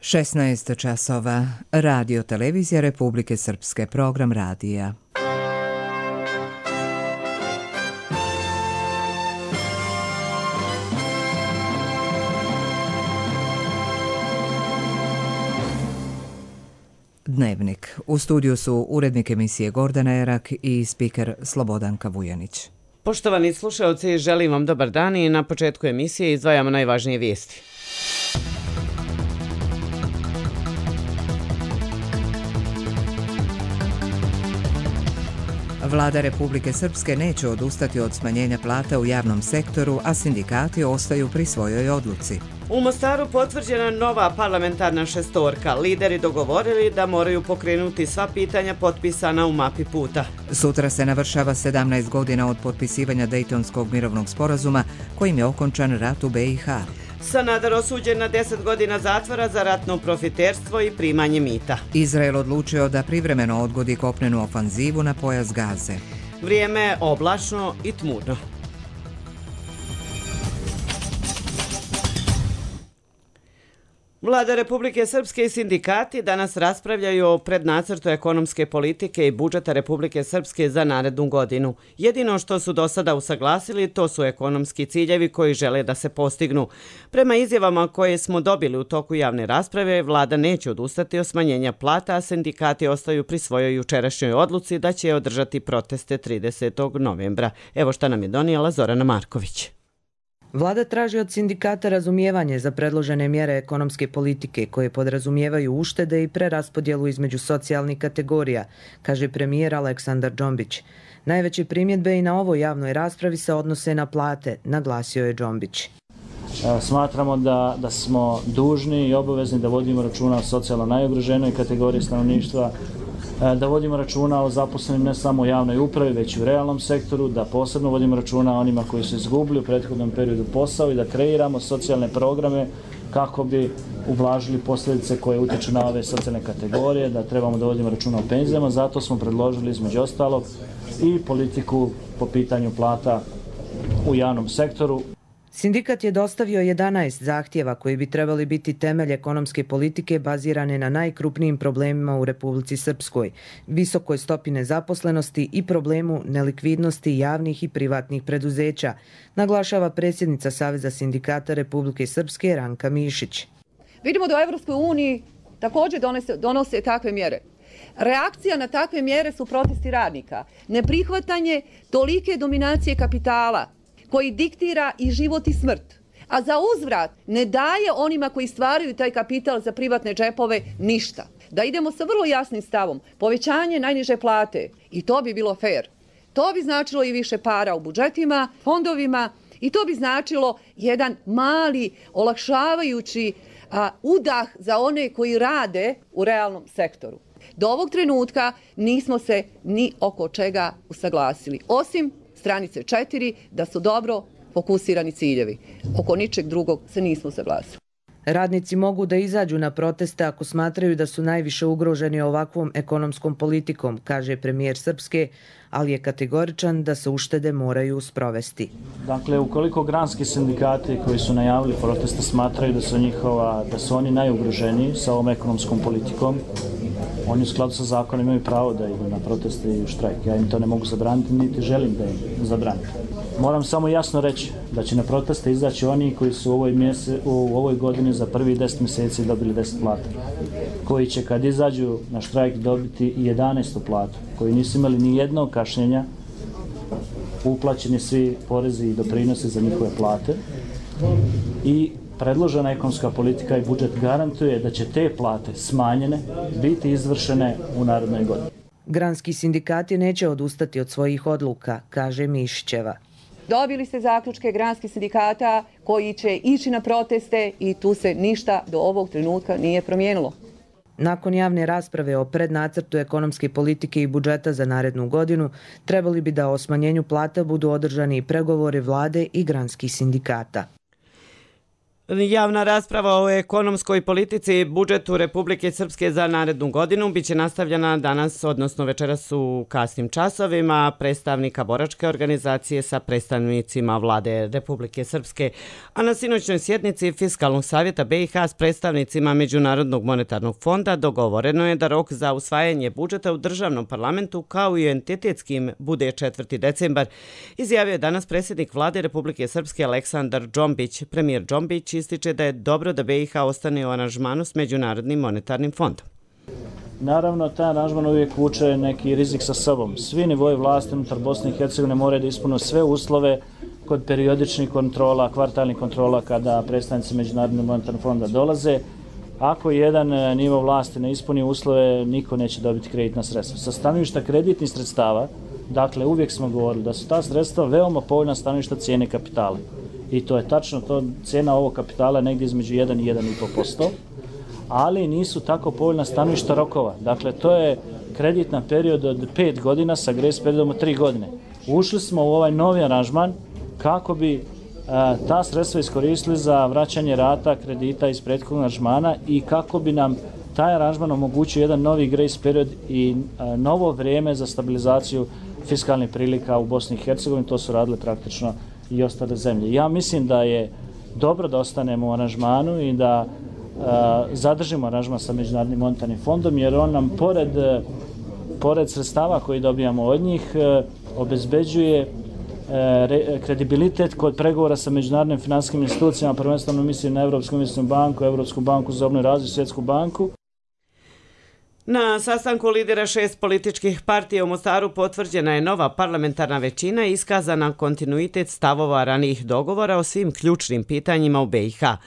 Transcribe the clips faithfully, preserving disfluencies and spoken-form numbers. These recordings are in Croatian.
šesnaest časova. Radio Televizija Republike Srpske, program radija. Dnevnik. U studiju su urednik emisije Gordana Erak i spiker Slobodanka Vujanić. Poštovani slušalci, želim vam dobar dan i na početku emisije izdvajamo najvažnije vijesti. Vlada Republike Srpske neće odustati od smanjenja plata u javnom sektoru, a sindikati ostaju pri svojoj odluci. U Mostaru potvrđena nova parlamentarna šestorka. Lideri dogovorili da moraju pokrenuti sva pitanja potpisana u mapi puta. Sutra se navršava sedamnaest godina od potpisivanja Dejtonskog mirovnog sporazuma kojim je okončan rat u B i H. Sanader osuđen na deset godina zatvora za ratno profiterstvo i primanje mita. Izrael odlučio da privremeno odgodi kopnenu ofanzivu na pojas Gaze. Vrijeme je oblačno i tmurno. Vlada Republike Srpske i sindikati danas raspravljaju o prednacrtu ekonomske politike i budžeta Republike Srpske za narednu godinu. Jedino što su do sada usaglasili to su ekonomski ciljevi koji žele da se postignu. Prema izjavama koje smo dobili u toku javne rasprave, vlada neće odustati od smanjenja plata, a sindikati ostaju pri svojoj jučerašnjoj odluci da će održati proteste tridesetog novembra. Evo šta nam je donijela Zorana Marković. Vlada traži od sindikata razumijevanje za predložene mjere ekonomske politike koje podrazumijevaju uštede i preraspodjelu između socijalnih kategorija, kaže premijer Aleksandar Džombić. Najveće primjedbe i na ovoj javnoj raspravi se odnose na plate, naglasio je Džombić. Smatramo da, da smo dužni i obavezni da vodimo računa o socijalno najugroženoj kategoriji stanovništva, da vodimo računa o zaposlenim ne samo u javnoj upravi, već i u realnom sektoru, da posebno vodimo računa o onima koji su izgubili u prethodnom periodu posao i da kreiramo socijalne programe kako bi ublažili posljedice koje utječu na ove socijalne kategorije, da trebamo da vodimo računa o penzijama. Zato smo predložili između ostalog i politiku po pitanju plata u javnom sektoru. Sindikat je dostavio jedanaest zahtjeva koji bi trebali biti temelj ekonomske politike bazirane na najkrupnijim problemima u Republici Srpskoj, visokoj stopi nezaposlenosti i problemu nelikvidnosti javnih i privatnih preduzeća, naglašava predsjednica Saveza sindikata Republike Srpske Ranka Mišić. Vidimo da u Evropskoj uniji također donose, donose takve mjere. Reakcija na takve mjere su protesti radnika, neprihvatanje tolike dominacije kapitala koji diktira i život i smrt, a za uzvrat ne daje onima koji stvaraju taj kapital za privatne džepove ništa. Da idemo sa vrlo jasnim stavom, povećanje najniže plate, i to bi bilo fair. To bi značilo i više para u budžetima, fondovima, i to bi značilo jedan mali, olakšavajući a, udah za one koji rade u realnom sektoru. Do ovog trenutka nismo se ni oko čega usaglasili, osim stranice četiri, da su dobro fokusirani ciljevi. Oko ničeg drugog se nismo saglasili. Radnici mogu da izađu na proteste ako smatraju da su najviše ugroženi ovakvom ekonomskom politikom, kaže premijer Srpske, ali je kategoričan da se uštede moraju sprovesti. Dakle, ukoliko granski sindikati koji su najavili proteste smatraju da su, njihova, da su oni najugroženiji sa ovom ekonomskom politikom, oni u skladu sa zakonom imaju pravo da idu na proteste i u štrajk. Ja im to ne mogu zabraniti, niti želim da im zabranim. Moram samo jasno reći da će na proteste izaći oni koji su u ovoj, mjese, u ovoj godini za prvi deset mjeseci dobili deset plata, koji će kad izađu na štrajk dobiti i jedanaestu platu, koji nisu imali ni jednog kašnjenja, uplaćeni svi porezi i doprinosi za njihove plate i predložena ekonomska politika i budžet garantuje da će te plate smanjene biti izvršene u narednoj godini. Granski sindikati neće odustati od svojih odluka, kaže Mišićeva. Dobili ste zaključke granskih sindikata koji će ići na proteste i tu se ništa do ovog trenutka nije promijenilo. Nakon javne rasprave o prednacrtu ekonomske politike i budžeta za narednu godinu, trebali bi da o smanjenju plata budu održani i pregovori vlade i granskih sindikata. Javna rasprava o ekonomskoj politici i budžetu Republike Srpske za narednu godinu biće nastavljena danas, odnosno večeras u kasnim časovima, predstavnika boračke organizacije sa predstavnicima vlade Republike Srpske, a na sinoćnoj sjednici Fiskalnog savjeta B i H s predstavnicima Međunarodnog monetarnog fonda dogovoreno je da rok za usvajanje budžeta u državnom parlamentu kao i entitetskim bude četvrti decembar, izjavio je danas predsjednik vlade Republike Srpske Aleksandar Džombić. Premijer Džombić ističe da je dobro da B i H ostane u aranžmanu s Međunarodnim monetarnim fondom. Naravno, taj aranžman uvijek vuče neki rizik sa sobom. Svi nivoji vlasti unutar Bosne i Hercegovine moraju da ispune sve uslove kod periodičnih kontrola, kvartalnih kontrola kada predstavnici Međunarodnog monetarnog fonda dolaze. Ako jedan nivo vlasti ne ispuni uslove, niko neće dobiti kreditna sredstva. Sa stanovišta kreditnih sredstava, dakle, uvijek smo govorili da su ta sredstva veoma povoljna stanovišta cijene kapitala. I to je tačno, to cijena ovog kapitala je negdje između jedan i jedan i po posto, ali nisu tako povoljna stanovišta rokova. Dakle, to je kreditna period od pet godina sa grace periodom od tri godine. Ušli smo u ovaj novi aranžman kako bi a, ta sredstva iskoristili za vraćanje rata kredita iz prethodnog aranžmana i kako bi nam taj aranžman omogućio jedan novi grace period i a, novo vrijeme za stabilizaciju fiskalnih prilika u Bosni i Hercegovini. To su radile praktično i ostale zemlje. Ja mislim da je dobro da ostanemo u aranžmanu i da a, zadržimo aranžman sa Međunarodnim monetarnim fondom, jer on nam pored, pored sredstava koji dobijamo od njih a, obezbeđuje a, re, kredibilitet kod pregovora sa međunarodnim finansijskim institucijama, prvenstveno mislim na Evropsku investicionu banku, Evropsku banku za obnovu i razvoj, Svjetsku banku. Na sastanku lidera šest političkih partija u Mostaru potvrđena je nova parlamentarna većina i iskazana kontinuitet stavova ranijih dogovora o svim ključnim pitanjima u B i H.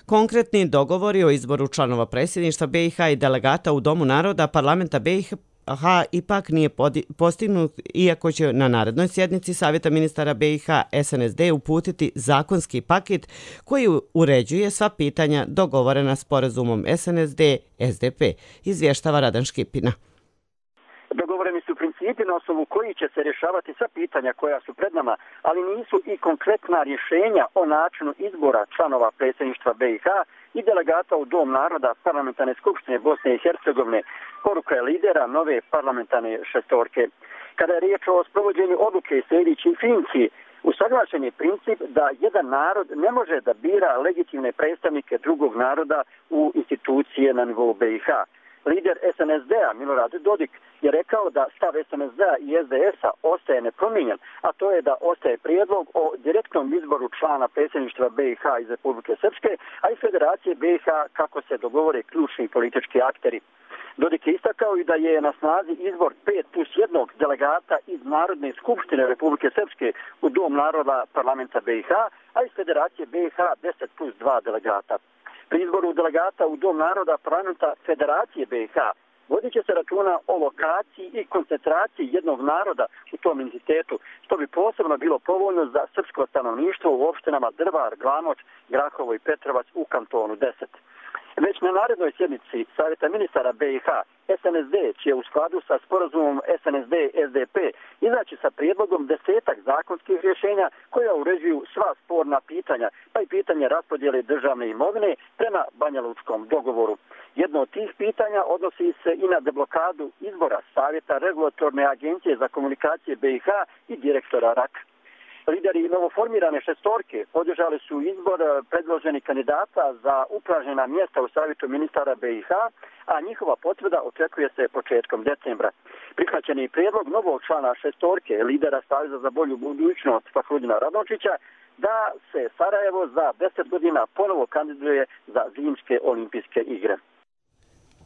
Konkretni dogovori o izboru članova predsjedništva B i H i delegata u Domu naroda parlamenta B i H ipak nije postignut, iako će na narednoj sjednici Savjeta ministara B i H S N S D uputiti zakonski paket koji uređuje sva pitanja dogovorena sporazumom S N S D S D P, izvještava Radan Škipina. Dogovoreni su principi na osnovu koji će se rješavati sva pitanja koja su pred nama, ali nisu i konkretna rješenja o načinu izbora članova predsjedništva B i H i delegata u Dom naroda parlamentarne skupštine Bosne i Hercegovine. Poruka je lidera nove parlamentarne šestorke. Kada je riječ o sprovođenju odluke i sljedećim funkciji, usaglašen je princip da jedan narod ne može da bira legitimne predstavnike drugog naroda u institucije na nivou B i H. Lider S N S D-a Milorad Dodik je rekao da stav S N S D-a i S D S-a ostaje nepromijenjen, a to je da ostaje prijedlog o direktnom izboru člana predsjedništva B i H iz Republike Srpske, a i Federacije B i H kako se dogovore ključni politički akteri. Dodik je istakao i da je na snazi izbor pet plus jednog delegata iz Narodne skupštine Republike Srpske u Dom naroda parlamenta B i H, a iz Federacije B i H deset plus dva delegata. Pri izboru delegata u Dom naroda parlamenta Federacije B i H vodit će se računa o lokaciji i koncentraciji jednog naroda u tom entitetu, što bi posebno bilo povoljno za srpsko stanovništvo u opštinama Drvar, Glamoč, Grahovo i Petrovac u kantonu deset. Već na narednoj sjednici Savjeta ministara B i H S N S D će u skladu sa sporazumom S N S D S D P izaći sa prijedlogom desetak zakonskih rješenja koja uređuju sva sporna pitanja, pa i pitanje raspodjele državne imovine prema Banjalučkom dogovoru. Jedno od tih pitanja odnosi se i na deblokadu izbora Savjeta regulatorne agencije za komunikacije B i H i direktora R A K. Lideri novoformirane šestorke podržali su izbor predloženih kandidata za upražnjena mjesta u Savjetu ministara B i H, a njihova potvrda očekuje se početkom decembra. Prihvaćen je prijedlog novog člana šestorke, lidera Saveza za bolju budućnost Fahrudina Radončića, da se Sarajevo za deset godina ponovo kandiduje za zimske olimpijske igre.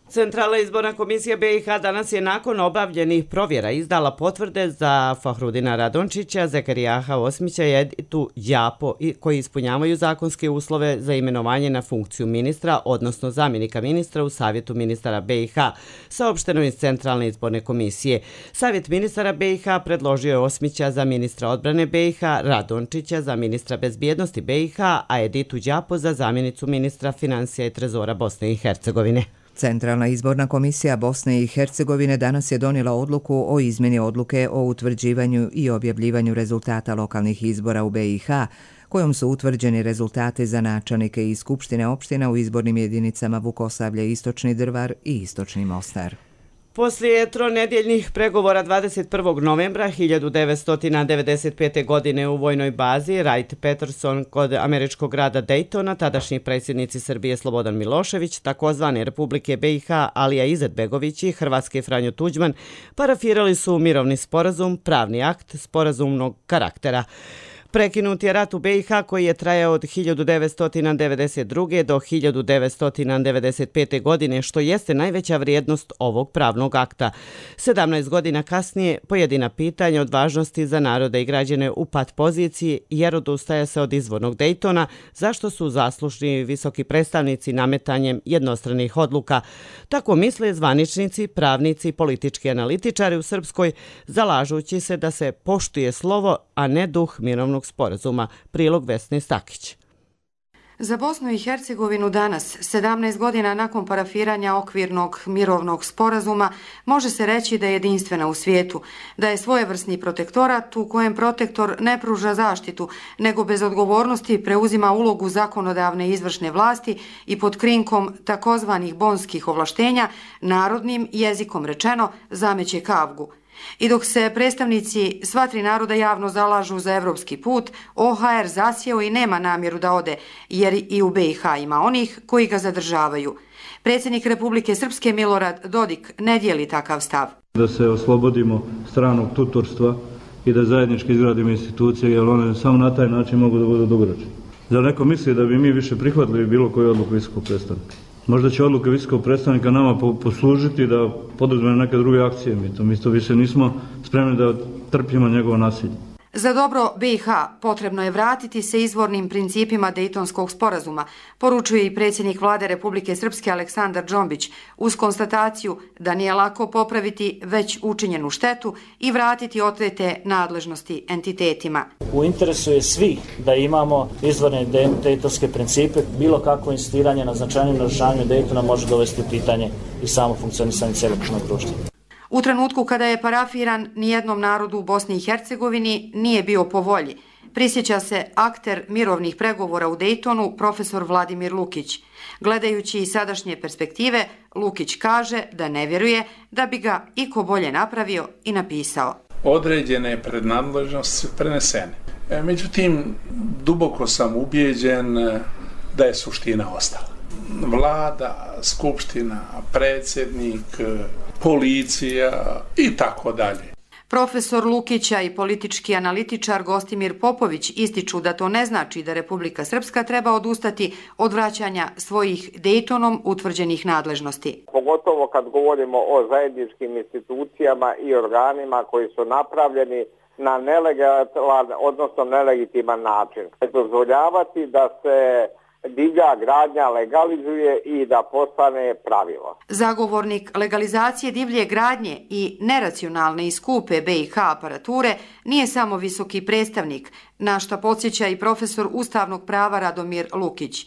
Centralna izborna komisija B i H danas je nakon obavljenih provjera izdala potvrde za Fahrudina Radončića, Zekerijaha Osmića i Editu Đapo koji ispunjavaju zakonske uslove za imenovanje na funkciju ministra, odnosno zamjenika ministra u Savjetu ministara B i H, saopšteno iz Centralne izborne komisije. Savjet ministara B i H predložio je Osmića za ministra odbrane B i H, Radončića za ministra bezbjednosti B i H, a Editu Đapo za zamjenicu ministra financija i trezora Bosne i Hercegovine. Centralna izborna komisija Bosne i Hercegovine danas je donijela odluku o izmjeni odluke o utvrđivanju i objavljivanju rezultata lokalnih izbora u B i H, kojom su utvrđeni rezultati za načelnike i skupštine opština u izbornim jedinicama Vukosavlje, Istočni Drvar i Istočni Mostar. Poslije tronedjeljnih pregovora dvadeset prvog novembra hiljadu devetsto devedeset pete. godine u vojnoj bazi Wright-Patterson kod američkog grada Daytona, tadašnji predsjednici Srbije Slobodan Milošević, takozvane Republike B i H Alija Izetbegović i Hrvatske Franjo Tuđman parafirali su mirovni sporazum, pravni akt sporazumnog karaktera. Prekinut je rat u B i H koji je trajao od hiljadu devetsto devedeset druge. do hiljadu devetsto devedeset pete. godine, što jeste najveća vrijednost ovog pravnog akta. sedamnaest godina kasnije pojedina pitanja od važnosti za narode i građane u pat poziciji jer odustaje se od izvornog Daytona, zašto su zaslužni visoki predstavnici nametanjem jednostranih odluka. Tako misle zvaničnici, pravnici i politički analitičari u Srpskoj, zalažući se da se poštuje slovo, a ne duh mirovnog sporazuma. Prilog Vesne Stakić. Za Bosnu i Hercegovinu danas, sedamnaest godina nakon parafiranja okvirnog mirovnog sporazuma, može se reći da je jedinstvena u svijetu, da je svojevrsni protektorat u kojem protektor ne pruža zaštitu, nego bez odgovornosti preuzima ulogu zakonodavne i izvršne vlasti i pod krinkom takozvanih bonskih ovlaštenja, narodnim jezikom rečeno, zameće kavgu. I dok se predstavnici sva tri naroda javno zalažu za evropski put, O H R zasjeo i nema namjeru da ode, jer i u B i H ima onih koji ga zadržavaju. Predsjednik Republike Srpske Milorad Dodik ne dijeli takav stav. Da se oslobodimo stranog tutorstva i da zajednički izgradimo institucije, jer one samo na taj način mogu da budu dugoročne. Zar neko misli da bi mi više prihvatili bilo koju odluku visokog predstavnika? Možda će odluka visokog predstavnika nama poslužiti da poduzmemo neke druge akcije. Mi to, mi to više nismo spremni da trpimo njegovo nasilje. Za dobro B i H potrebno je vratiti se izvornim principima Dejtonskog sporazuma, poručuje i predsjednik vlade Republike Srpske Aleksandar Džombić, uz konstataciju da nije lako popraviti već učinjenu štetu i vratiti otete nadležnosti entitetima. U interesu je svi da imamo izvorne dejtonske principe, bilo kakvo insistiranje na značajnim narušavanju Dejtona može dovesti u pitanje i samo funkcionisanje cjelokupnog društva. U trenutku kada je parafiran, nijednom narodu u Bosni i Hercegovini nije bio po volji. Prisjeća se akter mirovnih pregovora u Dejtonu, profesor Vladimir Lukić. Gledajući iz sadašnje perspektive, Lukić kaže da ne vjeruje da bi ga iko bolje napravio i napisao. Određene prednadležnosti su prenesene. E, međutim, duboko sam ubijeđen da je suština ostala. Vlada, skupština, predsjednik, policija i tako dalje. Profesor Lukića i politički analitičar Gostimir Popović ističu da to ne znači da Republika Srpska treba odustati od vraćanja svojih Dejtonom utvrđenih nadležnosti. Pogotovo kad govorimo o zajedničkim institucijama i organima koji su napravljeni na nelegalan, odnosno nelegitiman način. Dozvoljavati da se divlja gradnja legalizuje i da postane pravilo. Zagovornik legalizacije divlje gradnje i neracionalne i skupe B i H aparature nije samo visoki predstavnik, na šta podsjeća i profesor ustavnog prava Radomir Lukić.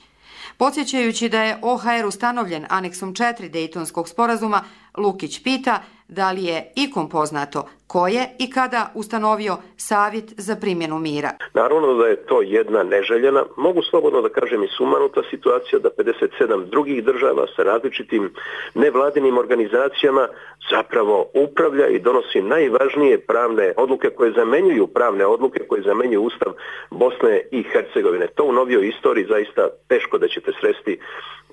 Podsjećajući da je O H R ustanovljen aneksom četiri Dejtonskog sporazuma, Lukić pita da li je ikom poznato ko je i kada ustanovio savjet za primjenu mira. Naravno da je to jedna neželjena, mogu slobodno da kažem i sumanuta situacija da pedeset sedam drugih država sa različitim nevladinim organizacijama zapravo upravlja i donosi najvažnije pravne odluke koje zamenjuju pravne odluke koje zamenjuju Ustav Bosne i Hercegovine. To u novijoj istoriji zaista teško da ćete sresti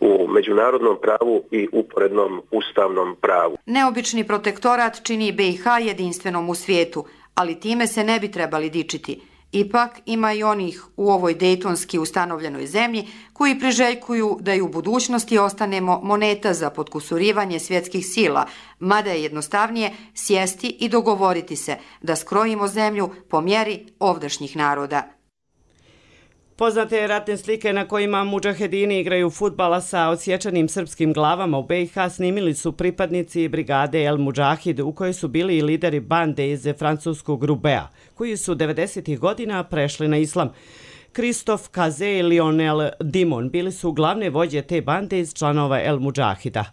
u međunarodnom pravu i uporednom ustavnom pravu. Neobični protektorat čini B i H jedinstvenom u svijetu, ali time se ne bi trebali dičiti. Ipak ima i onih u ovoj dejtonski ustanovljenoj zemlji koji priželjkuju da i u budućnosti ostanemo moneta za potkusurivanje svjetskih sila, mada je jednostavnije sjesti i dogovoriti se da skrojimo zemlju po mjeri ovdašnjih naroda. Poznate ratne slike na kojima mudžahedini igraju fudbala sa odsječanim srpskim glavama u B i H snimili su pripadnici brigade El Mudžahid u kojoj su bili i lideri bande iz francuskog Rubea, koji su devedesetih godina prešli na islam. Kristof Kaze i Lionel Dimon bili su glavne vođe te bande iz članova El Mudžahida.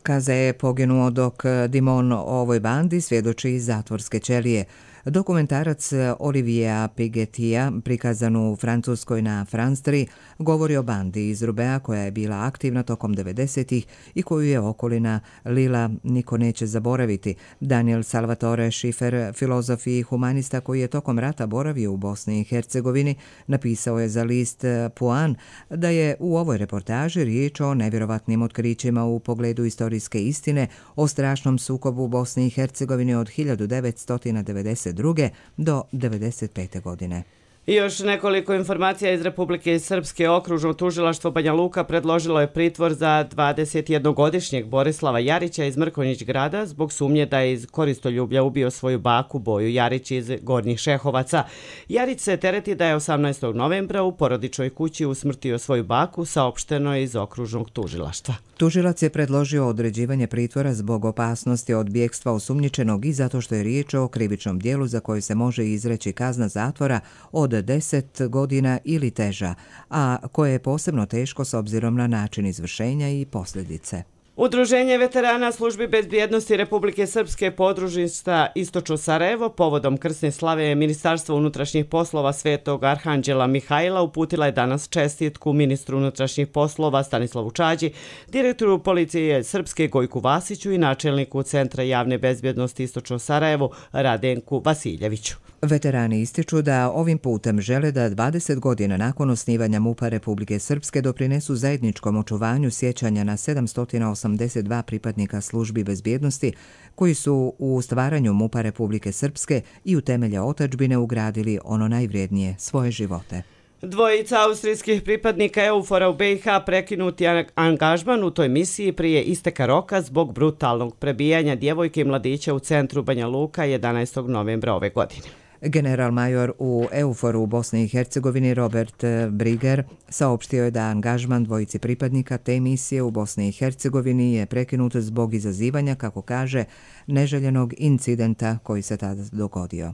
Kaza je poginuo dok Dimon o ovoj bandi svjedoči iz zatvorske ćelije. Dokumentarac Olivia Pigetija, prikazan u Francuskoj na France tri, govori o bandi iz Rubea koja je bila aktivna tokom devedesetih i koju je okolina Lila niko neće zaboraviti. Daniel Salvatore Schiffer, filozof i humanista koji je tokom rata boravio u Bosni i Hercegovini, napisao je za list Puan da je u ovoj reportaži riječ o nevjerovatnim otkrićima u pogledu istorijske istine o strašnom sukobu u Bosni i Hercegovini od hiljadu devetsto devedeset druge do devedeset pete godine. I još nekoliko informacija iz Republike Srpske. Okružno tužilaštvo Banja Luka predložilo je pritvor za dvadesetjednogodišnjeg Borislava Jarića iz Mrkonjić grada zbog sumnje da je iz koristoljublja ubio svoju baku Boju Jarić iz Gornjih Šehovaca. Jarić se tereti da je osamnaestog novembra u porodičnoj kući usmrtio svoju baku, saopšteno je iz okružnog tužilaštva. Tužilac je predložio određivanje pritvora zbog opasnosti od bjegstva osumnjičenog i zato što je riječ o krivičnom dijelu za koje se može izreći kazna zatvora od deset godina ili teža, a koje je posebno teško s obzirom na način izvršenja i posljedice. Udruženje veterana službi bezbjednosti Republike Srpske podružnica Istočno Sarajevo povodom krsne slave Ministarstva unutrašnjih poslova Svetog Arhanđela Mihajla uputila je danas čestitku ministru unutrašnjih poslova Stanislavu Čađi, direktoru policije Srpske Gojku Vasiću i načelniku Centra javne bezbjednosti Istočno Sarajevo Radenku Vasiljeviću. Veterani ističu da ovim putem žele da dvadeset godina nakon osnivanja MUP-a Republike Srpske doprinesu zajedničkom očuvanju sjećanja na sedamsto osamdeset dva pripadnika službi bezbjednosti koji su u stvaranju MUP-a Republike Srpske i u temelje otadžbine ugradili ono najvrijednije, svoje živote. Dvojica austrijskih pripadnika EUFOR-a u be i ha prekinuti angažman u toj misiji prije isteka roka zbog brutalnog prebijanja djevojke i mladića u centru Banja Luka jedanaestog novembra ove godine. General major u EUFOR-u u Bosni i Hercegovini Robert Briger saopštio je da angažman dvojici pripadnika te misije u Bosni i Hercegovini je prekinut zbog izazivanja, kako kaže, neželjenog incidenta koji se tada dogodio.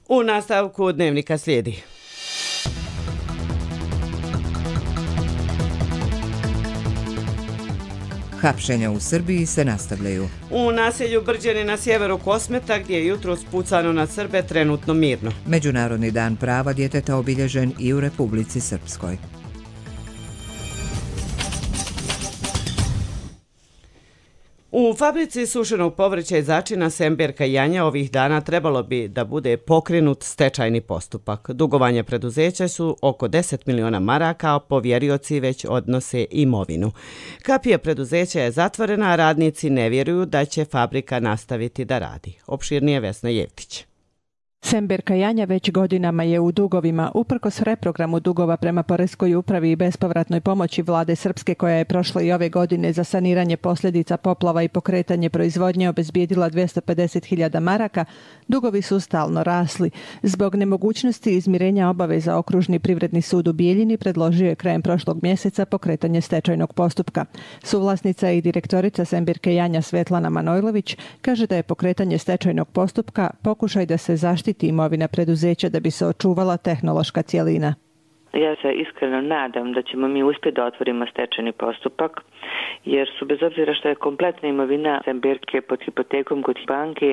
U nastavku dnevnika slijedi. Hapšenja u Srbiji se nastavljaju. U naselju Brđani na sjeveru Kosmeta, gdje je jutros pucano na Srbe, trenutno mirno. Međunarodni dan prava djeteta obilježen i u Republici Srpskoj. U fabrici sušenog povrća i začina Semberka i Janja ovih dana trebalo bi da bude pokrenut stečajni postupak. Dugovanja preduzeća su oko deset miliona maraka, a povjerioci već odnose imovinu. Kapija preduzeća je zatvorena, a radnici ne vjeruju da će fabrika nastaviti da radi. Opširnije Vesna Jevtić. Semberka Janja već godinama je u dugovima, uprkos reprogramu dugova prema Poreskoj upravi i bespovratnoj pomoći vlade Srpske koja je prošle i ove godine za saniranje posljedica poplava i pokretanje proizvodnje obezbijedila dvjesto pedeset hiljada maraka, dugovi su stalno rasli. Zbog nemogućnosti izmirenja obaveza Okružni privredni sud u Bijeljini predložio je krajem prošlog mjeseca pokretanje stečajnog postupka. Suvlasnica i direktorica Semberke Janja Svetlana Manojlović kaže da je pokretanje stečajnog postupka pokušaj da se zaštiti imovina preduzeća da bi se očuvala tehnološka cjelina. Ja se iskreno nadam da ćemo mi uspjeti da otvorimo stečajni postupak, jer su bez obzira što je kompletna imovina Semberke pod hipotekom kod banke,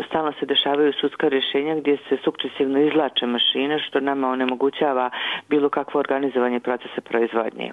stalno se dešavaju sudska rješenja gdje se sukcesivno izvlače mašine, što nama onemogućava bilo kakvo organizovanje procesa proizvodnje.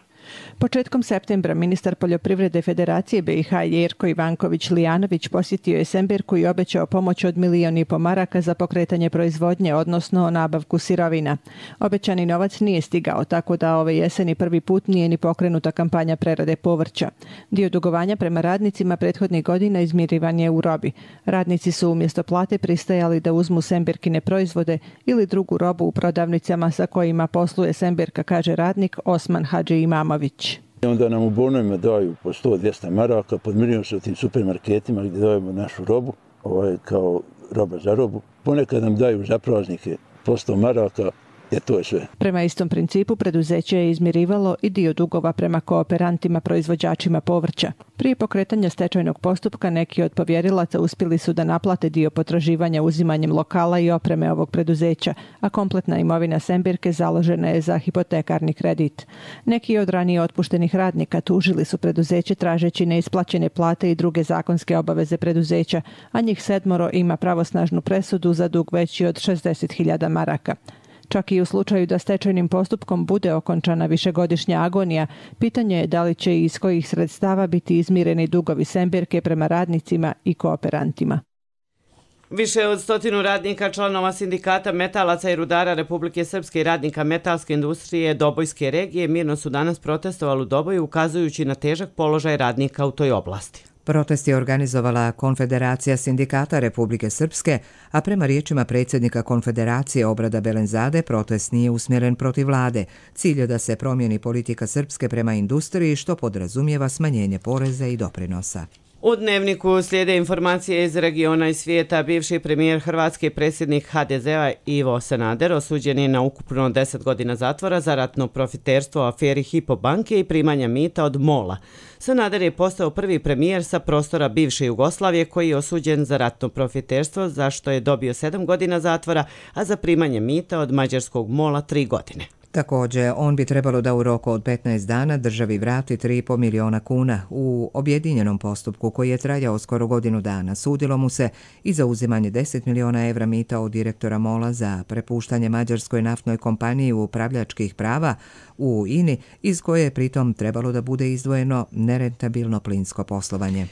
Početkom septembra ministar poljoprivrede Federacije be i ha Jerko Ivanković Lijanović posjetio je Semberku i obećao pomoć od milijon i po maraka za pokretanje proizvodnje, odnosno nabavku sirovina. Obećani novac nije stigao, tako da ove jeseni prvi put nije ni pokrenuta kampanja prerade povrća. Dio dugovanja prema radnicima prethodnih godina izmirivan je u robi. Radnici su umjesto plate pristajali da uzmu Semberkine proizvode ili drugu robu u prodavnicama sa kojima posluje Semberka, kaže radnik Osman Hadži Imamović. Onda nam u bonovima daju po sto do dvjesto maraka, podmiruju se u tim supermarketima gdje dajemo našu robu, ovaj, kao roba za robu. Ponekad nam daju za praznike po sto maraka jer to je sve. Prema istom principu preduzeće je izmirivalo i dio dugova prema kooperantima proizvođačima povrća. Prije pokretanja stečajnog postupka neki od povjerilaca uspjeli su da naplate dio potraživanja uzimanjem lokala i opreme ovog preduzeća, a kompletna imovina Sembirke založena je za hipotekarni kredit. Neki od ranije otpuštenih radnika tužili su preduzeće tražeći neisplaćene plate i druge zakonske obaveze preduzeća, a njih sedmoro ima pravosnažnu presudu za dug veći od šezdeset hiljada maraka. Čak i u slučaju da stečajnim postupkom bude okončana višegodišnja agonija, pitanje je da li će i iz kojih sredstava biti izmireni dugovi Sembirke prema radnicima i kooperantima. Više od stotinu radnika članova sindikata metalaca i rudara Republike Srpske i radnika metalske industrije Dobojske regije mirno su danas protestovali u Doboju, ukazujući na težak položaj radnika u toj oblasti. Protest je organizovala Konfederacija sindikata Republike Srpske, a prema riječima predsjednika Konfederacije Obrada Belenzade protest nije usmjeren protiv vlade. Cilj je da se promijeni politika Srpske prema industriji, što podrazumijeva smanjenje poreza i doprinosa. U Dnevniku slijede informacije iz regiona i svijeta. Bivši premijer Hrvatske, predsjednik ha de zea Ivo Sanader osuđen je na ukupno deset godina zatvora za ratno profiterstvo u aferi Hypo banke i primanja mita od mola. Sanader je postao prvi premijer sa prostora bivše Jugoslavije koji je osuđen za ratno profiterstvo, za što je dobio sedam godina zatvora, a za primanje mita od mađarskog mola tri godine. Također, on bi trebalo da u roku od petnaest dana državi vrati tri i po miliona kuna. U objedinjenom postupku koji je trajao skoro godinu dana sudilo mu se i za uzimanje deset miliona evra mita od direktora mola za prepuštanje mađarskoj naftnoj kompaniji upravljačkih prava u I N I, iz koje je pritom trebalo da bude izdvojeno nerentabilno plinsko poslovanje.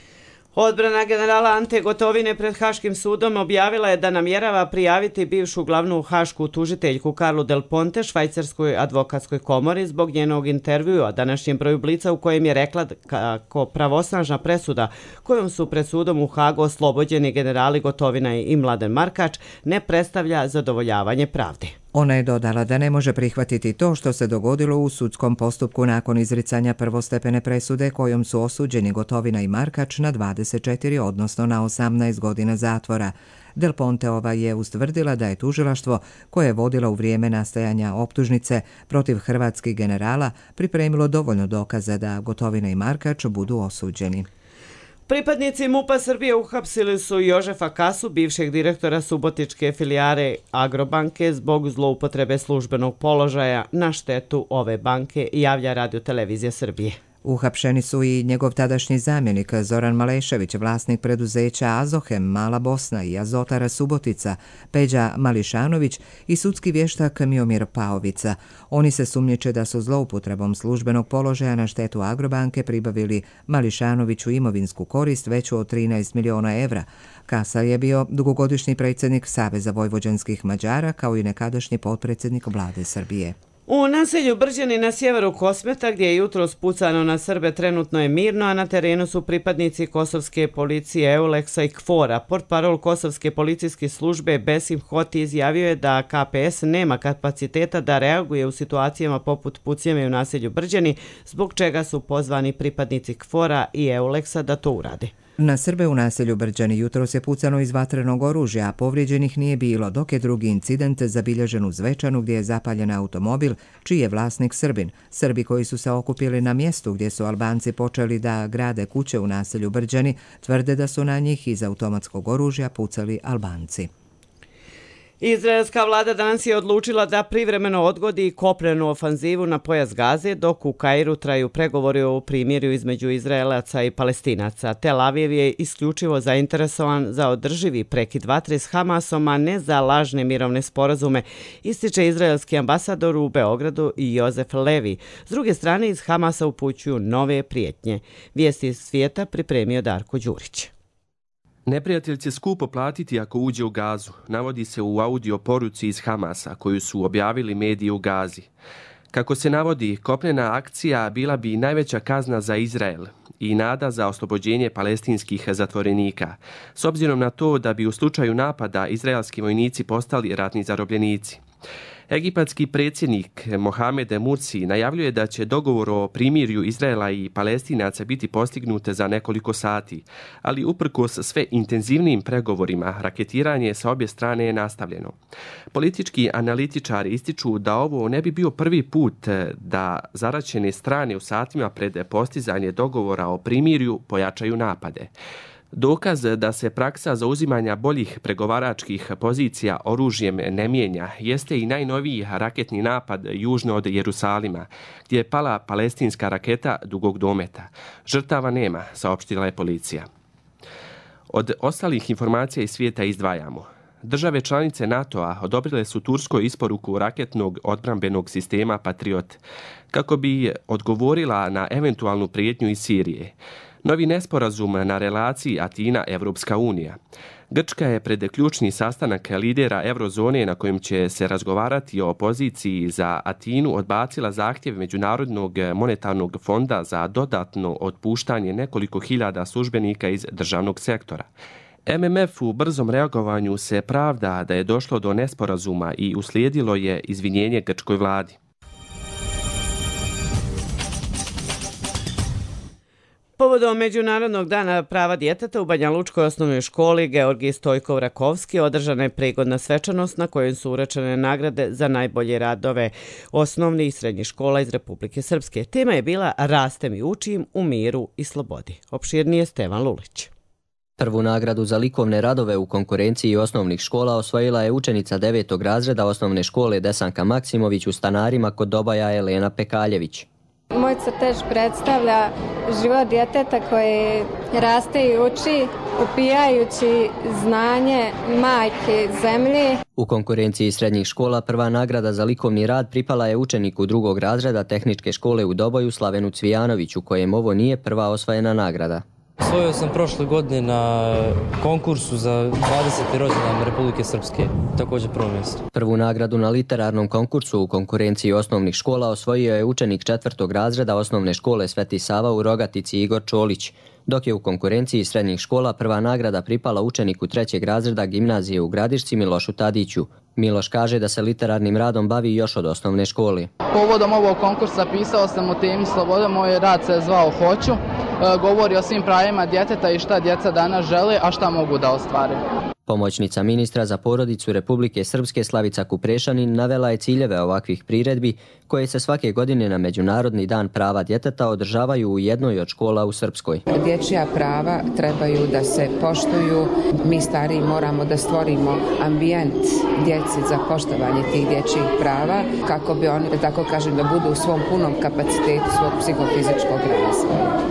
Odbrana generala Ante Gotovine pred Haškim sudom objavila je da namjerava prijaviti bivšu glavnu hašku tužiteljku Karlu Del Ponte Švajcarskoj advokatskoj komori zbog njenog intervjua današnjem broju Blica u kojem je rekla kako pravosnažna presuda kojom su pred sudom u Hagu oslobođeni generali Gotovina i Mladen Markač ne predstavlja zadovoljavanje pravde. Ona je dodala da ne može prihvatiti to što se dogodilo u sudskom postupku nakon izricanja prvostepene presude kojom su osuđeni Gotovina i Markač na dvadeset četiri, odnosno na osamnaest godina zatvora. Del Ponteova je ustvrdila da je tužilaštvo, koje je vodila u vrijeme nastajanja optužnice protiv hrvatskih generala, pripremilo dovoljno dokaza da Gotovina i Markač budu osuđeni. Pripadnici MUP-a Srbije uhapsili su Jožefa Kasu, bivšeg direktora subotičke filijare Agrobanke, zbog zloupotrebe službenog položaja na štetu ove banke, javlja Radio-televizija Srbije. Uhapšeni su i njegov tadašnji zamjenik Zoran Malešević, vlasnik preduzeća Azohem, Mala Bosna i Azotara Subotica, Peđa Mališanović i sudski vještak Miomir Paovica. Oni se sumnjiče da su zloupotrebom službenog položaja na štetu Agrobanke pribavili Mališanoviću imovinsku korist veću od trinaest miliona evra. Kasa je bio dugogodišnji predsjednik Saveza vojvođanskih Mađara kao i nekadašnji potpredsjednik vlade Srbije. U naselju Brđani na sjeveru Kosmeta, gdje je jutros pucano na Srbe, trenutno je mirno, a na terenu su pripadnici kosovske policije Euleksa i Kfora. Portparol kosovske policijske službe Besim Hoti izjavio je da ka pe es nema kapaciteta da reaguje u situacijama poput pucnjave u naselju Brđani, zbog čega su pozvani pripadnici Kfora i Euleksa da to urade. Na Srbe u naselju Brđani jutros je pucano iz vatrenog oružja, a povrijeđenih nije bilo, dok je drugi incident zabilježen u Zvečanu gdje je zapaljen automobil, čiji je vlasnik Srbin. Srbi koji su se okupili na mjestu gdje su Albanci počeli da grade kuće u naselju Brđani, tvrde da su na njih iz automatskog oružja pucali Albanci. Izraelska vlada danas je odlučila da privremeno odgodi kopnenu ofanzivu na pojas Gaze, dok u Kairu traju pregovori o primirju između Izraelaca i Palestinaca. Tel Aviv je isključivo zainteresovan za održivi prekid vatre s Hamasom, a ne za lažne mirovne sporazume, ističe izraelski ambasador u Beogradu i Jozef Levi. S druge strane, iz Hamasa upućuju nove prijetnje. Vijesti iz svijeta pripremio Darko Đurić. Neprijatelj će skupo platiti ako uđe u Gazu, navodi se u audio poruci iz Hamasa koju su objavili mediji u Gazi. Kako se navodi, kopnena akcija bila bi najveća kazna za Izrael i nada za oslobođenje palestinskih zatvorenika, s obzirom na to da bi u slučaju napada izraelski vojnici postali ratni zarobljenici. Egipatski predsjednik Mohamed Mursi najavljuje da će dogovor o primirju Izraela i Palestinaca biti postignut za nekoliko sati, ali uprkos sve intenzivnijim pregovorima, raketiranje sa obje strane je nastavljeno. Politički analitičari ističu da ovo ne bi bio prvi put da zaraćene strane u satima pred postizanje dogovora o primirju pojačaju napade. Dokaz da se praksa zauzimanja boljih pregovaračkih pozicija oružjem ne mijenja jeste i najnoviji raketni napad južno od Jerusalima, gdje je pala palestinska raketa dugog dometa. Žrtava nema, saopštila je policija. Od ostalih informacija iz svijeta izdvajamo. Države članice NATO-a odobrile su Turskoj isporuku raketnog odbrambenog sistema Patriot kako bi odgovorila na eventualnu prijetnju iz Sirije. Novi nesporazum na relaciji Atina-Evropska unija. Grčka je pred ključni sastanak lidera Eurozone na kojem će se razgovarati o poziciji za Atinu odbacila zahtjev Međunarodnog monetarnog fonda za dodatno otpuštanje nekoliko hiljada službenika iz državnog sektora. M M F u brzom reagovanju se pravda da je došlo do nesporazuma i uslijedilo je izvinjenje grčkoj vladi. Povodom Međunarodnog dana prava djeteta u Banjalučkoj osnovnoj školi Georgij Stojkov-Rakovski održana je prigodna svečanost na kojoj su urečene nagrade za najbolje radove osnovnih i srednjih škola iz Republike Srpske. Tema je bila Rastem i učim u miru i slobodi. Opširnije Stevan Lulić. Prvu nagradu za likovne radove u konkurenciji osnovnih škola osvojila je učenica devetog razreda osnovne škole Desanka Maksimović u Stanarima kod Dobaja Elena Pekaljević. Moj crtež predstavlja život djeteta koje raste i uči, upijajući znanje majke zemlje. U konkurenciji srednjih škola prva nagrada za likovni rad pripala je učeniku drugog razreda tehničke škole u Doboju Slavenu Cvijanoviću, kojem ovo nije prva osvojena nagrada. Osvojio sam prošle godine na konkursu za dvadeseti rođendan Republike Srpske, također prvo mjesto. Prvu nagradu na literarnom konkursu u konkurenciji osnovnih škola osvojio je učenik četvrtog razreda osnovne škole Sveti Sava u Rogatici Igor Čolić, dok je u konkurenciji srednjih škola prva nagrada pripala učeniku trećeg razreda gimnazije u Gradišci Milošu Tadiću. Miloš kaže da se literarnim radom bavi još od osnovne škole. Povodom ovog konkursa pisao sam o temi slobode, moj rad se zvao Hoću. Govori o svim pravima djeteta i šta djeca danas žele, a šta mogu da ostvare. Pomoćnica ministra za porodicu Republike Srpske Slavica Kuprešanin navela je ciljeve ovakvih priredbi koje se svake godine na Međunarodni dan prava djeteta održavaju u jednoj od škola u Srpskoj. Dječja prava trebaju da se poštuju. Mi stariji moramo da stvorimo ambijent djeci za poštovanje tih dječjih prava kako bi oni, da tako kažem, da budu u svom punom kapacitetu svog psihofizičkog razvoja.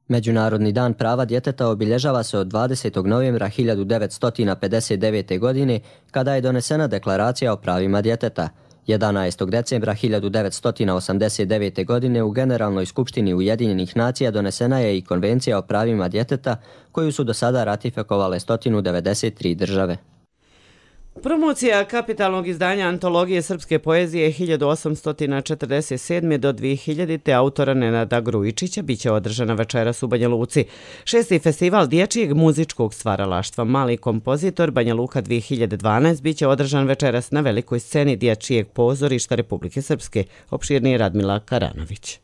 Međunarodni dan prava djeteta obilježava se od dvadesetog novembra hiljadu devetsto pedeset devete. godine, kada je donesena deklaracija o pravima djeteta. jedanaestog decembra hiljadu devetsto osamdeset devete. godine u Generalnoj skupštini Ujedinjenih nacija donesena je i Konvencija o pravima djeteta, koju su do sada ratifikovale sto devedeset tri države. Promocija kapitalnog izdanja antologije srpske poezije hiljadu osamsto četrdeset sedme. do dve hiljadite. autora Nenada Grujičića biće održana večeras u Banja Luci. Šesti festival dječjeg muzičkog stvaralaštva Mali kompozitor Banja Luka dve hiljade dvanaeste. biće održan večeras na velikoj sceni Dječjeg pozorišta Republike Srpske. Opširnije Radmila Karanović.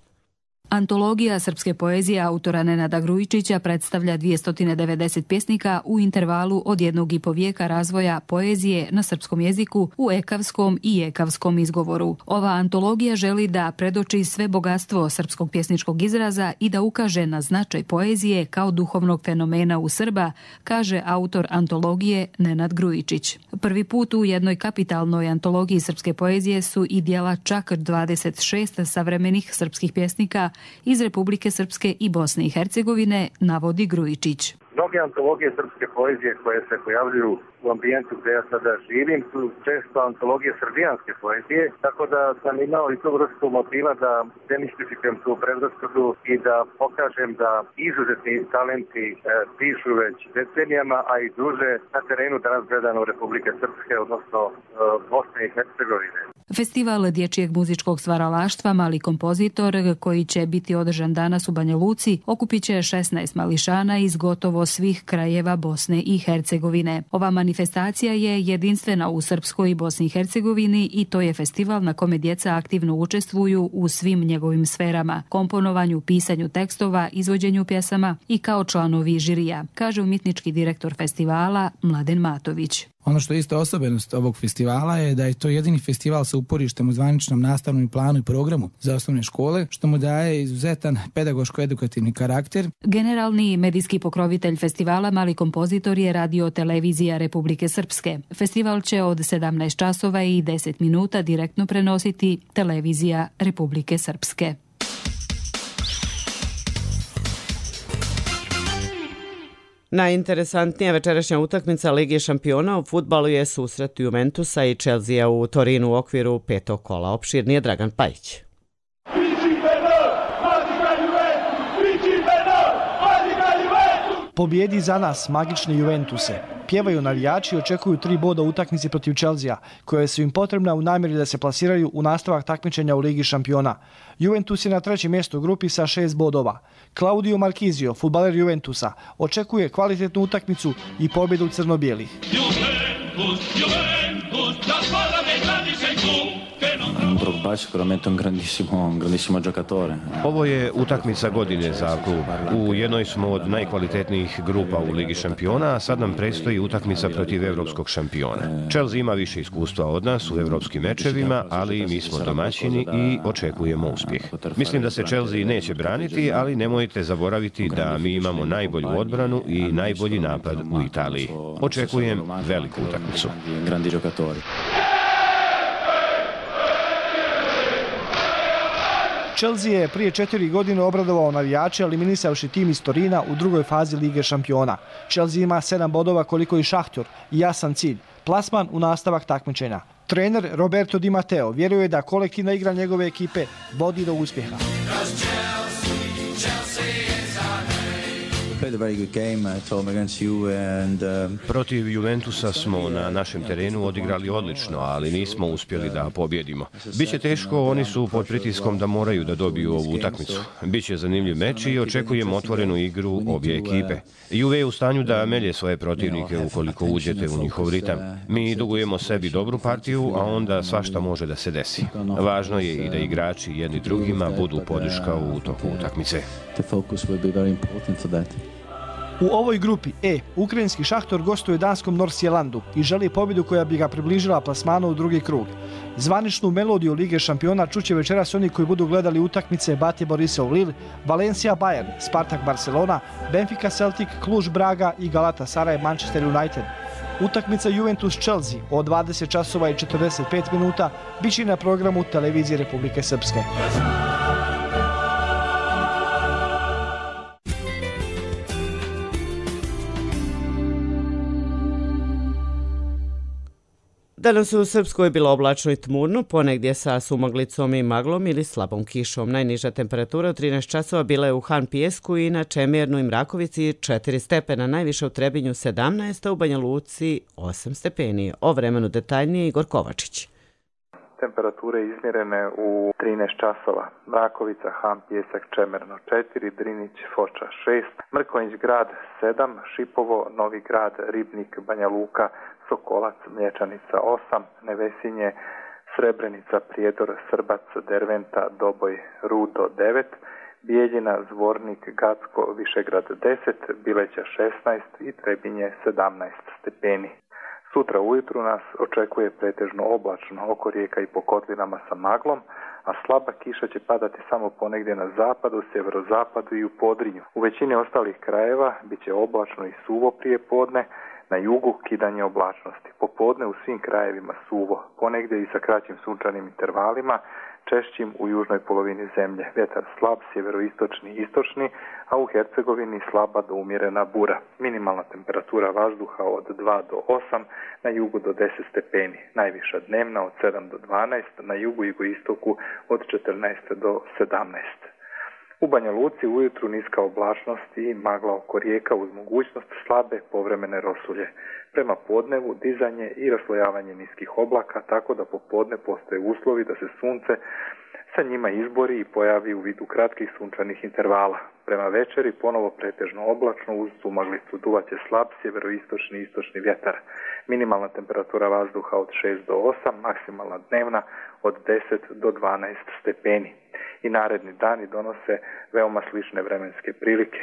Antologija srpske poezije autora Nenada Grujičića predstavlja dvjesto devedeset pjesnika u intervalu od jednog i po vijeka razvoja poezije na srpskom jeziku u ekavskom i ekavskom izgovoru. Ova antologija želi da predoči sve bogatstvo srpskog pjesničkog izraza i da ukaže na značaj poezije kao duhovnog fenomena u Srba, kaže autor antologije Nenad Grujičić. Prvi put u jednoj kapitalnoj antologiji srpske poezije su i dijela čak dvadeset šest savremenih srpskih pjesnika iz Republike Srpske i Bosne i Hercegovine, navodi Grujičić. Mnoge antologije srpske poezije koje se pojavljuju u ambijentu gdje ja sada živim su često antologije srbijanske poezije, tako da sam imao i tu vrstu motiva da demistifikujem tu predrasudu i da pokažem da izuzetni talenti e, pišu već decenijama, a i duže na terenu danas gledano Republike Srpske, odnosno e, Bosne i Hercegovine. Festival dječjeg muzičkog stvaralaštva Mali kompozitor, koji će biti održan danas u Banja Luci, okupit će šesnaest mališana iz gotovo svih krajeva Bosne i Hercegovine. Ova manifestacija je jedinstvena u Srpskoj i Bosni i Hercegovini i to je festival na kome djeca aktivno učestvuju u svim njegovim sferama, komponovanju, pisanju tekstova, izvođenju pjesama i kao članovi žirija, kaže umjetnički direktor festivala Mladen Matović. Ono što je isto osobenost ovog festivala je da je to jedini festival sa uporištem u zvaničnom nastavnom planu i programu za osnovne škole, što mu daje izuzetan pedagoško-edukativni karakter. Generalni medijski pokrovitelj festivala Mali kompozitor je Radio Televizija Republike Srpske. Festival će od sedamnaest časova i deset minuta direktno prenositi Televizija Republike Srpske. Najinteresantnija večerašnja utakmica Lige šampiona u fudbalu je susret Juventusa i Chelsea u Torinu u okviru petog kola. Opširnije Dragan Pajić. Pobjedi za nas, magične Juventuse. Pjevaju navijači i očekuju tri boda u utakmici protiv Chelsea, koje su im potrebna u namjeri da se plasiraju u nastavak takmičenja u Ligi šampiona. Juventus je na trećem mjestu u grupi sa šest bodova. Claudio Marchisio, fudbaler Juventusa, očekuje kvalitetnu utakmicu i pobjedu crno-bijelih. Juventus, Juventus, la squadra dei grandi sei tu. Drogba sicuramente un grandissimo, un grandissimo giocatore. Ovo je utakmica godine za klub. U jednoj smo od najkvalitetnijih grupa u Ligi šampiona, a sad nam predstoji utakmica protiv evropskog šampiona. Chelsea ima više iskustva od nas u evropskim mečevima, ali mi smo domaćini i očekujemo uspjeh. Mislim da se Chelsea neće braniti, ali nemojte zaboraviti da mi imamo najbolju odbranu i najbolji napad u Italiji. Očekujem veliku utakmicu. Grandi giocatori. Chelsea je prije četiri godine obradovao navijače eliminisavši tim iz Torina u drugoj fazi Lige šampiona. Chelsea ima sedam bodova koliko i Šahtjor i jasan cilj, plasman u nastavak takmičenja. Trener Roberto Di Matteo vjeruje da kolektivna igra njegove ekipe vodi do uspjeha. Protiv Juventusa smo na našem terenu odigrali odlično, ali nismo uspjeli da pobjedimo. Biće teško, oni su pod pritiskom da moraju da dobiju ovu utakmicu. Biće zanimljiv meč i očekujem otvorenu igru obje ekipe. Juve je u stanju da melje svoje protivnike ukoliko uđete u njihov ritam. Mi dugujemo sebi dobru partiju, a onda svašta može da se desi. Važno je i da igrači jedni drugima budu podrška u toku utakmice. U ovoj grupi E, ukrajinski Šahtor gostuje danskom Norsjelandu i želi pobjedu koja bi ga približila plasmanu u drugi krug. Zvaničnu melodiju Lige šampiona čuće večeras oni koji budu gledali utakmice Bate Borisov Lille, Valencia Bayern, Spartak Barcelona, Benfica Celtic, Cluj Braga i Galatasaray Manchester United. Utakmica Juventus Chelsea od dvadeset časova i četrdeset pet minuta biće na programu Televizije Republike Srpske. Danas u Srpskoj je bilo oblačno i tmurno, ponegdje sa sumaglicom i maglom ili slabom kišom. Najniža temperatura od trinaest časova bila je u Han Pijesku i na Čemernu i Mrakovici četiri stepena, najviše u Trebinju sedamnaest, a u Banja Luci osam stepeni. O vremenu detaljnije Igor Kovačić. Temperature izmjerene u trinaest časova. Mrakovica, Han, Pijesak, Čemerno četiri, Drinić, Foča šest, Mrkonjić grad sedam, Šipovo, Novi grad, Ribnik, Banja Luka, Sokolac, Mlječanica osam, Nevesinje, Srebrenica, Prijedor, Srbac, Derventa, Doboj, Rudo devet, Bijeljina, Zvornik, Gacko, Višegrad deset, Bileća šesnaest i Trebinje sedamnaest stepeni. Sutra ujutru nas očekuje pretežno oblačno oko rijeka i po kotlinama sa maglom, a slaba kiša će padati samo ponegdje na zapadu, sjeverozapadu i u Podrinju. U većini ostalih krajeva bit će oblačno i suvo prije podne, na jugu kidanje oblačnosti. Popodne u svim krajevima suvo, ponegdje i sa kraćim sunčanim intervalima, češćim u južnoj polovini zemlje. Vjetar slab, sjeveroistočni i istočni, a u Hercegovini slaba do umjerena bura. Minimalna temperatura vazduha od dva do osam, na jugu do deset stepeni. Najviša dnevna od sedam do dvanaest, na jugu i jugoistoku od četrnaest do sedamnaest. U Banja Luci ujutru niska oblačnost i magla oko rijeka uz mogućnost slabe povremene rosulje. Prema podnevu dizanje i raslojavanje niskih oblaka, tako da popodne postoje uslovi da se sunce sa njima izbori i pojavi u vidu kratkih sunčanih intervala. Prema večeri ponovo pretežno oblačno uz sumaglicu, duvaće slab sjeveroistočni i istočni vjetar. Minimalna temperatura vazduha od šest do osam, maksimalna dnevna od deset do dvanaest stepeni. I naredni dani donose veoma slične vremenske prilike.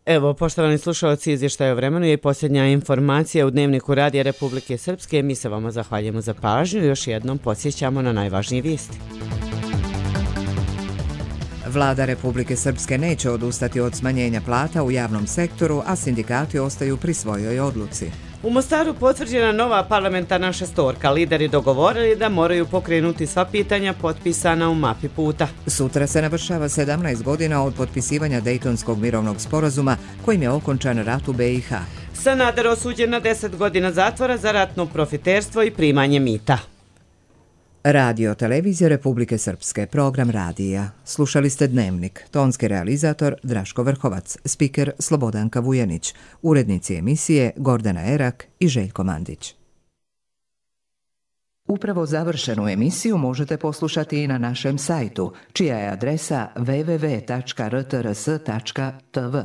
Evo, poštovani slušalci, izvještaj o vremenu je i posljednja informacija u Dnevniku Radija Republike Srpske. Mi se vama zahvaljujemo za pažnju i još jednom podsjećamo na najvažnije vijesti. Vlada Republike Srpske neće odustati od smanjenja plata u javnom sektoru, a sindikati ostaju pri svojoj odluci. U Mostaru potvrđena nova parlamentarna šestorka. Lideri dogovorili da moraju pokrenuti sva pitanja potpisana u mapi puta. Sutra se navršava sedamnaest godina od potpisivanja Dejtonskog mirovnog sporazuma kojim je okončan rat u B i H. Sanader osuđen na deset godina zatvora za ratno profiterstvo i primanje mita. Radio Televizija Republike Srpske, program radija. Slušali ste Dnevnik, tonski realizator Draško Vrhovac, spiker Slobodanka Vujanić, urednici emisije Gordana Erak i Željko Mandić. Upravo završenu emisiju možete poslušati i na našem sajtu, čija je adresa w w w tačka r t r s tačka t v.